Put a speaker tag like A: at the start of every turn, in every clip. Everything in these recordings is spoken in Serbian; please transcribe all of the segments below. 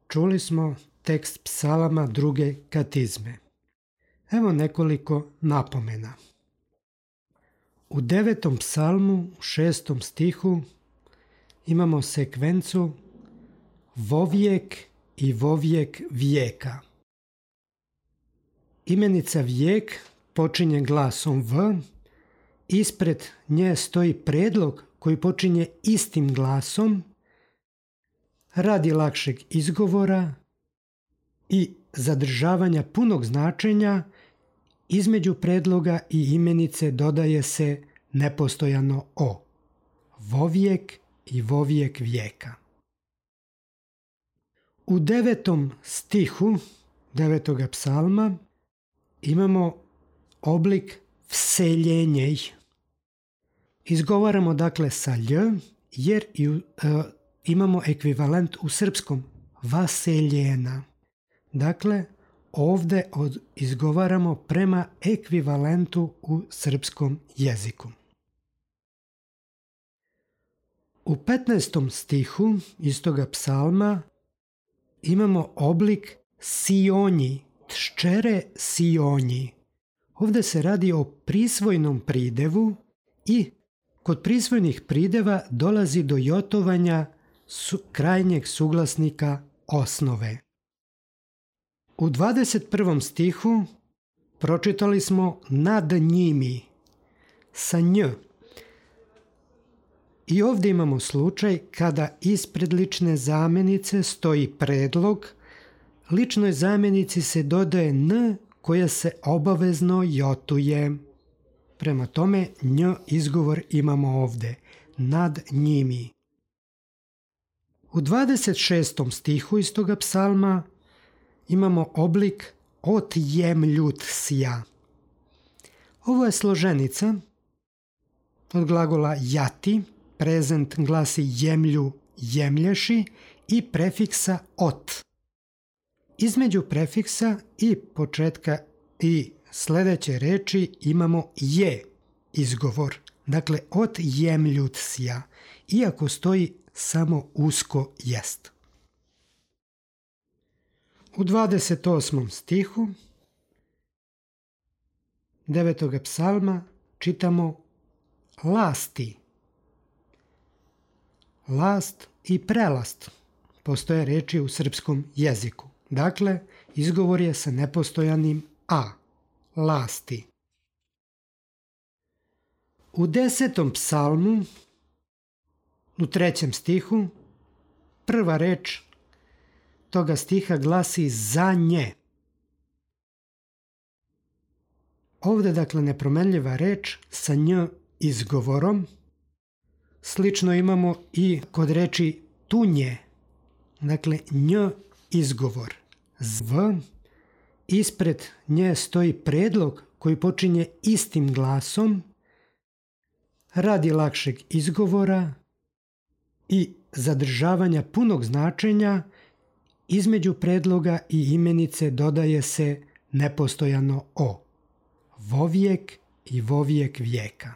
A: Čuli smo tekst psalama druge katizme. Evo nekoliko napomena. U 9. psalmu, u 6. stihu, imamo sekvencu vovijek i vovijek vijeka. Imenica vijek počinje glasom v, ispred nje stoji predlog koji počinje istim glasom radi lakšeg izgovora i zadržavanja punog značenja. Između predloga i imenice dodaje se nepostojano o. Vovijek i vovijek vijeka. U 9. stihu 9. psalma imamo oblik vseljenjej. Izgovaramo dakle sa lj jer imamo ekvivalent u srpskom vaseljena. Dakle, ovdje izgovaramo prema ekvivalentu u srpskom jeziku. U 15. stihu istoga psalma imamo oblik sionji, tščere sionji. Ovdje se radi o prisvojnom pridevu i kod prisvojnih prideva dolazi do jotovanja krajnjeg suglasnika osnove. U 21. stihu pročitali smo nad njimi sa nj. I ovdje imamo slučaj kada ispred lične zamjenice stoji predlog, ličnoj zamjenici se dodaje n koja se obavezno jotuje. Prema tome nj izgovor imamo ovdje, nad njimi. U 26. stihu iz toga psalma imamo oblik otjemljut sja. Ovo je složenica od glagola jati, prezent glasi jemlju, jemlješi i prefiksa ot. Između prefiksa i početka i sljedeće reči imamo je izgovor. Dakle, otjemljut sja, iako stoji samo usko jest. U 28. stihu 9. psalma čitamo lasti. Last i prelast postoje reči u srpskom jeziku. Dakle, izgovor je sa nepostojanim a. Lasti. U 10. psalmu u 3. stihu prva reč toga stiha glasi za nje. Ovdje dakle nepromenljiva reč sa nj izgovorom. Slično imamo i kod reči tunje. Dakle nj izgovor. V. Ispred nje stoji predlog koji počinje istim glasom radi lakšeg izgovora i zadržavanja punog značenja. Između predloga i imenice dodaje se nepostojano o. Vovijek i vovijek vijeka.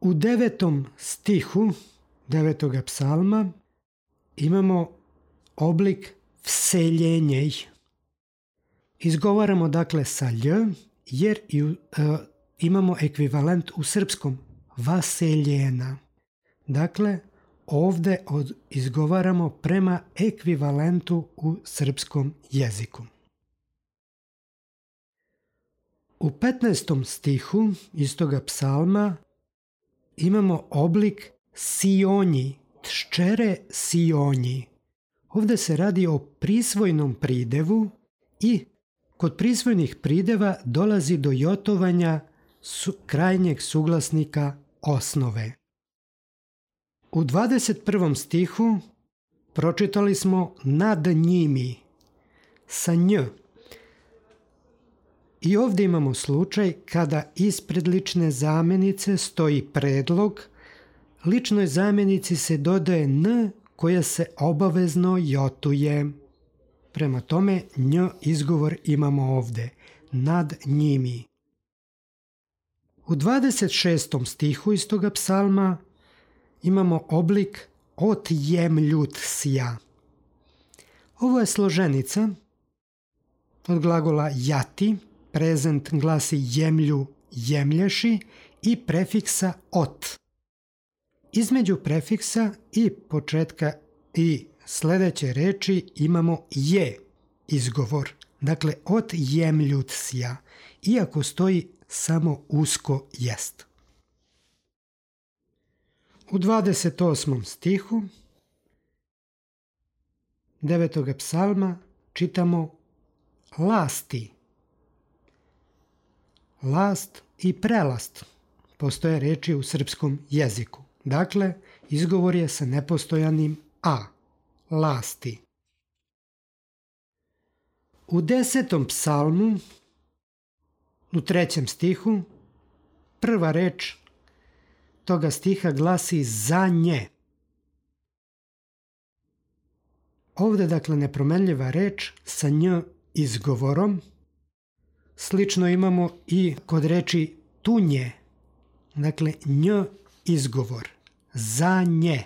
A: U 9. stihu 9. psalma imamo oblik vseljenjej. Izgovaramo dakle sa lj jer imamo ekvivalent u srpskom vaseljena. Dakle, ovdje izgovaramo prema ekvivalentu u srpskom jeziku. U 15. stihu istoga psalma imamo oblik sionji, tščere sionji. Ovdje se radi o prisvojnom pridevu i kod prisvojnih prideva dolazi do jotovanja krajnjeg suglasnika osnove. U 21. stihu pročitali smo nad njimi sa nj. I ovdje imamo slučaj kada ispred lične zamjenice stoji predlog, ličnoj zamjenici se dodaje n koja se obavezno jotuje. Prema tome nj izgovor imamo ovdje, nad njimi. U 26. stihu iz toga psalma imamo oblik otjemljut sja. Ovo je složenica od glagola jati, prezent glasi jemlju, jemlješi i prefiksa ot. Između prefiksa i početka i sljedeće reči imamo je izgovor. Dakle, ot jemljutsja, iako stoji samo usko jest. U 28. stihu 9. psalma čitamo lasti. Last i prelast postoje reči u srpskom jeziku. Dakle, izgovor je sa nepostojanim a. Lasti. U 10. psalmu, u 3. stihu, prva reč toga stiha glasi za nje. Ovdje, dakle, nepromenljiva reč sa nj izgovorom. Slično imamo i kod reči tunje. Dakle, nj izgovor. Za nje.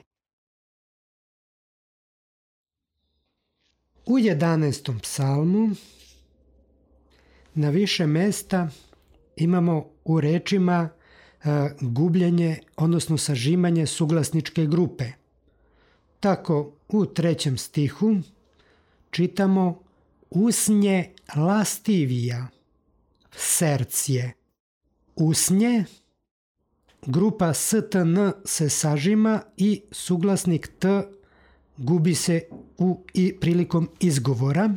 A: U 11. psalmu na više mesta imamo u rečima gubljenje, odnosno sažimanje suglasničke grupe. Tako u 3. stihu čitamo usnje lastivija, sercije. Usnje, grupa stn se sažima i suglasnik t gubi se i prilikom izgovora.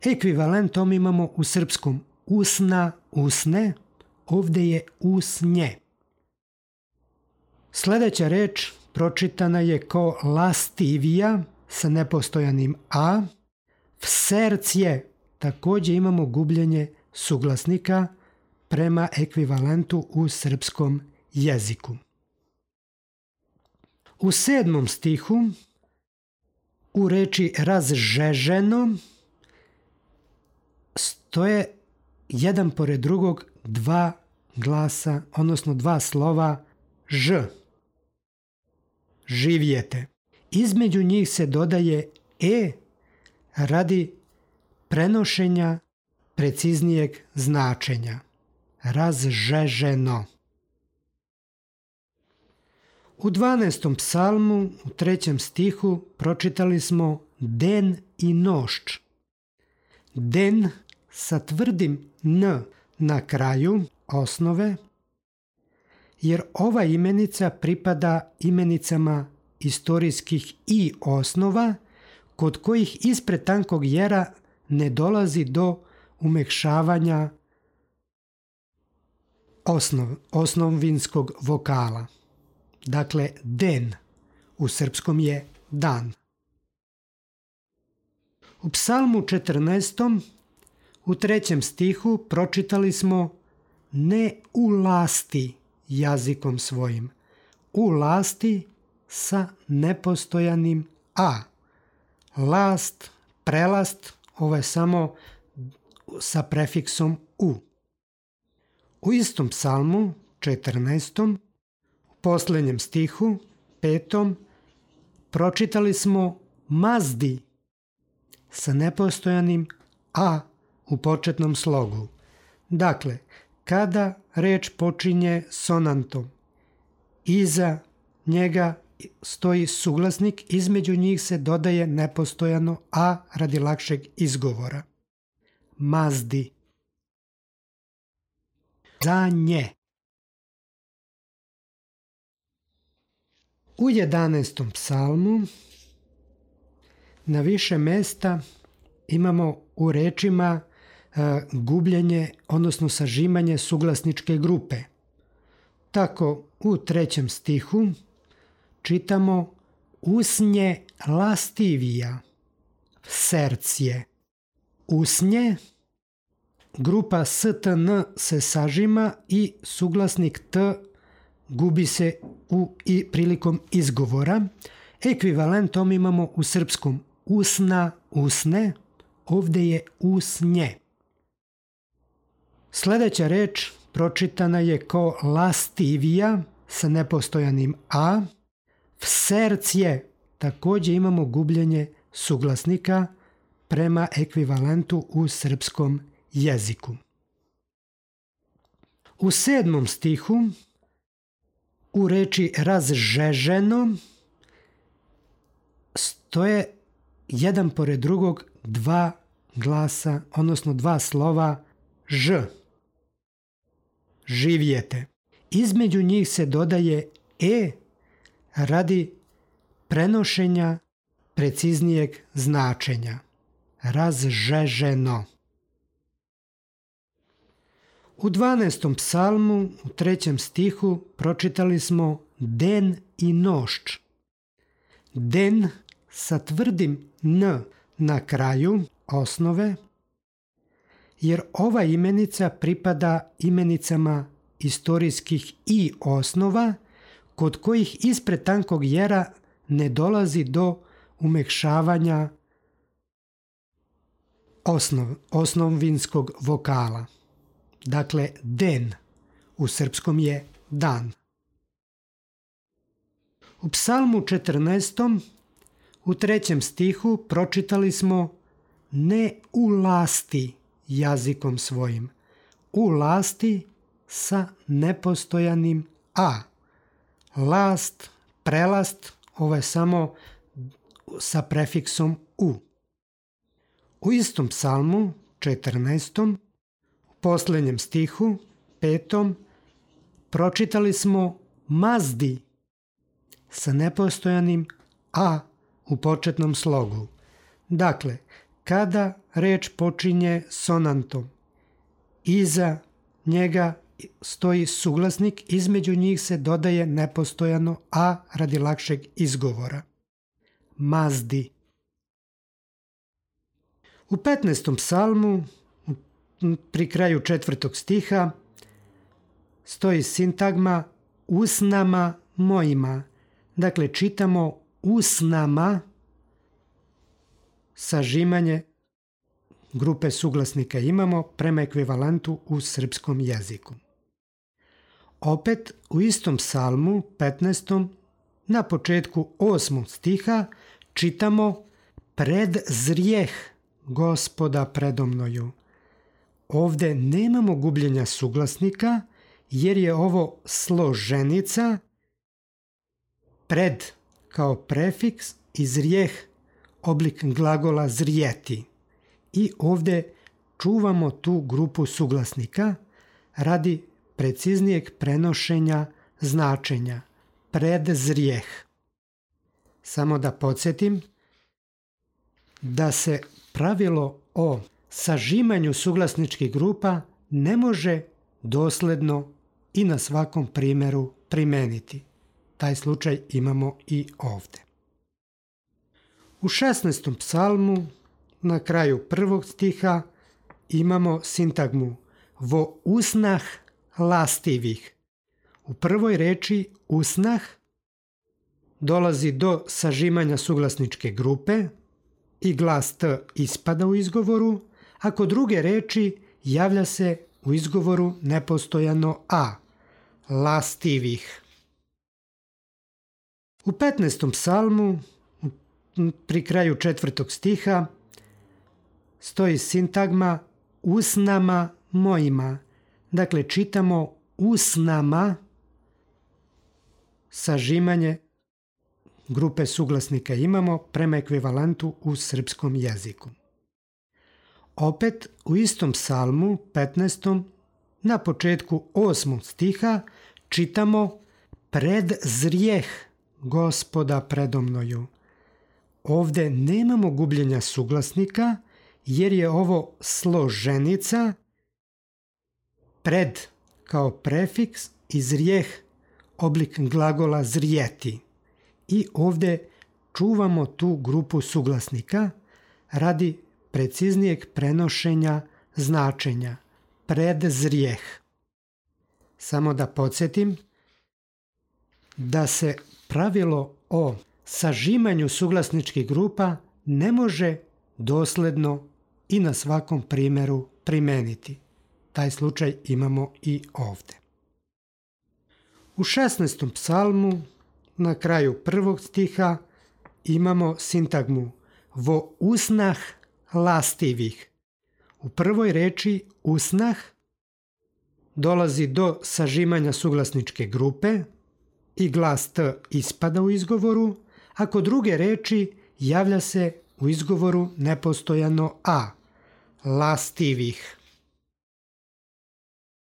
A: Ekvivalentom imamo u srpskom usna, usne, ovdje je usnje. Sljedeća reč pročitana je kao lastivija sa nepostojanim a. Sercije, također imamo gubljenje suglasnika prema ekvivalentu u srpskom jeziku. U 7. stihu u reči razžeženo stoje jedan pored drugog dva glasa, odnosno dva slova ž. Živjete. Između njih se dodaje e radi prenošenja preciznijeg značenja. Razžeženo. U 12. psalmu, u 3. stihu, pročitali smo den i nošč. Den sa tvrdim n na kraju osnove, jer ova imenica pripada imenicama istorijskih i osnova, kod kojih ispred tankog jera ne dolazi do umekšavanja osnovinskog vokala. Dakle, den u srpskom je dan. U psalmu 14. u 3. stihu pročitali smo ne u lasti jazikom svojim. U lasti sa nepostojanim a. Last, prelast, ovo je samo sa prefiksom u. U istom psalmu 14. u posljednjem stihu 5. pročitali smo mazdi sa nepostojanim a u početnom slogu. Dakle, kada reč počinje sonantom, iza njega stoji suglasnik, između njih se dodaje nepostojano a radi lakšeg izgovora. Mazdi. Za nje. U 11. psalmu na više mesta imamo u rečima gubljenje, odnosno sažimanje suglasničke grupe. Tako u 3. stihu čitamo usnje lastivija, sercije. Usnje, grupa stn se sažima i suglasnik t gubi se i prilikom izgovora. Ekvivalentom imamo u srpskom usna, usne, ovdje je usnje. Sljedeća reč pročitana je kao lastivija sa nepostojanim a. Sercije, također imamo gubljenje suglasnika prema ekvivalentu u srpskom jeziku. U 7. stihu u reči razžeženo stoje jedan pored drugog dva glasa, odnosno dva slova ž. Živjete. Između njih se dodaje e radi prenošenja preciznijeg značenja. Razžeženo. U 12. psalmu, u 3. stihu, pročitali smo den i nošč. Den sa tvrdim n na kraju osnove, jer ova imenica pripada imenicama istorijskih i osnova, kod kojih ispred tankog jera ne dolazi do umekšavanja osnovinskog vokala. Dakle, den u srpskom je dan. U psalmu 14. u 3. stihu pročitali smo ne u lasti jazikom svojim. U lasti sa nepostojanim a. Last, prelast, ovo je samo sa prefiksom u. U istom psalmu 14. u posljednjem stihu 5. pročitali smo mazdi sa nepostojanim a u početnom slogu. Dakle, kada reč počinje sonantom, iza njega stoji suglasnik, između njih se dodaje nepostojano a radi lakšeg izgovora. Mazdi. U 15. psalmu, pri kraju 4. stiha, stoji sintagma usnama mojima. Dakle, čitamo usnama, sažimanje grupe suglasnika imamo prema ekvivalentu u srpskom jeziku. Opet u istom psalmu, 15. na početku 8. stiha, čitamo pred zrijeh Gospoda predomnoju. Ovde nemamo gubljenja suglasnika, jer je ovo složenica, pred kao prefiks i zrijeh oblik glagola zrijeti. I ovde čuvamo tu grupu suglasnika radi preciznijeg prenošenja značenja. Pred zrijeh. Samo da podsjetim da se pravilo o sažimanju suglasničkih grupa ne može dosledno i na svakom primjeru primeniti. Taj slučaj imamo i ovde. U 16. psalmu, na kraju 1. stiha, imamo sintagmu vo usnah lastivih. U prvoj reči usnah dolazi do sažimanja suglasničke grupe i glas t ispada u izgovoru, a kod druge reči javlja se u izgovoru nepostojano a. Lastivih. U 15. psalmu, pri kraju 4. stiha, stoji sintagma usnama mojima. Dakle, čitamo usnama, sažimanje grupe suglasnika imamo prema ekvivalentu u srpskom jeziku. Opet u istom psalmu, 15. na početku 8. stiha, čitamo pred zrijeh Gospoda predomnoju. Ovde nemamo gubljenja suglasnika, jer je ovo složenica, pred kao prefiks i zrijeh oblik glagola zrijeti. I ovde čuvamo tu grupu suglasnika radi preciznijeg prenošenja značenja. Pred zrijeh. Samo da podsjetim da se pravilo o sažimanju suglasničkih grupa ne može dosledno i na svakom primjeru primeniti. Taj slučaj imamo i ovde. U 16. psalmu, na kraju 1. stiha, imamo sintagmu vo usnah lastivih. U prvoj reči usnah dolazi do sažimanja suglasničke grupe i glas T ispada u izgovoru, a kod druge reči javlja se u izgovoru nepostojano A, lastivih.